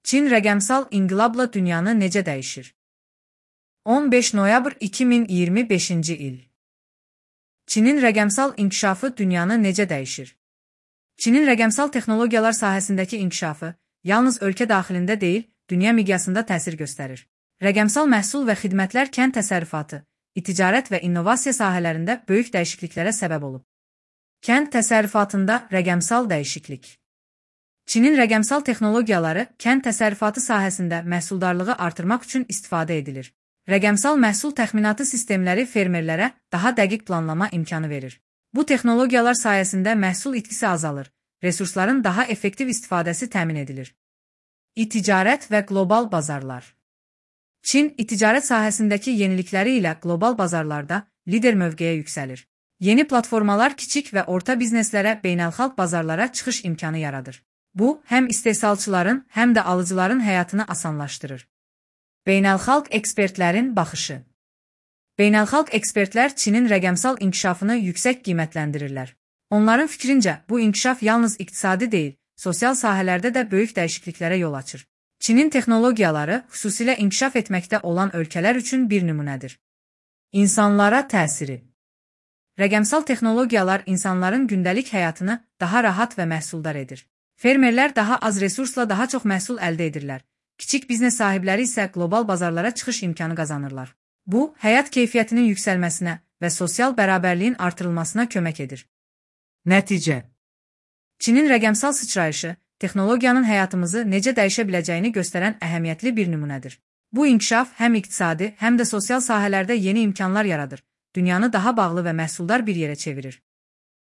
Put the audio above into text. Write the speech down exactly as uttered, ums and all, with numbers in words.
Çin rəqəmsal inqilabla dünyanı necə dəyişir? on beş noyabr iki min iyirmi beşinci il. Çinin rəqəmsal inkişafı dünyanı necə dəyişir? Çinin rəqəmsal texnologiyalar sahəsindəki inkişafı yalnız ölkə daxilində deyil, dünya miqyasında təsir göstərir. Rəqəmsal məhsul və xidmətlər kənd təsərrüfatı, ticarət və innovasiya sahələrində böyük dəyişikliklərə səbəb olub. Kənd təsərrüfatında rəqəmsal dəyişiklik. Çinin rəqəmsal texnologiyaları kənd təsərrüfatı sahəsində məhsuldarlığı artırmaq üçün istifadə edilir. Rəqəmsal məhsul təxminatı sistemləri fermerlərə daha dəqiq planlama imkanı verir. Bu texnologiyalar sayəsində məhsul itkisi azalır, resursların daha effektiv istifadəsi təmin edilir. İticarət və qlobal bazarlar. Çin, ticarət sahəsindəki yenilikləri ilə qlobal bazarlarda lider mövqeyə yüksəlir. Yeni platformalar kiçik və orta bizneslərə beynəlxalq bazarlara çıxış imkanı yaradır. Bu, həm istehsalçıların, həm də alıcıların həyatını asanlaşdırır. Beynəlxalq ekspertlərin baxışı. Beynəlxalq ekspertlər Çinin rəqəmsal inkişafını yüksək qiymətləndirirlər. Onların fikrincə, bu inkişaf yalnız iqtisadi deyil, sosial sahələrdə də böyük dəyişikliklərə yol açır. Çinin texnologiyaları xüsusilə inkişaf etməkdə olan ölkələr üçün bir nümunədir. İnsanlara təsiri. Rəqəmsal texnologiyalar insanların gündəlik həyatını daha rahat və məhsuldar edir. Fermerlər daha az resursla daha çox məhsul əldə edirlər. Kiçik biznes sahibləri isə qlobal bazarlara çıxış imkanı qazanırlar. Bu, həyat keyfiyyətinin yüksəlməsinə və sosial bərabərliyin artırılmasına kömək edir. Nəticə. Çinin rəqəmsal sıçrayışı, texnologiyanın həyatımızı necə dəyişə biləcəyini göstərən əhəmiyyətli bir nümunədir. Bu inkişaf həm iqtisadi, həm də sosial sahələrdə yeni imkanlar yaradır, dünyanı daha bağlı və məhsuldar bir yerə çevirir.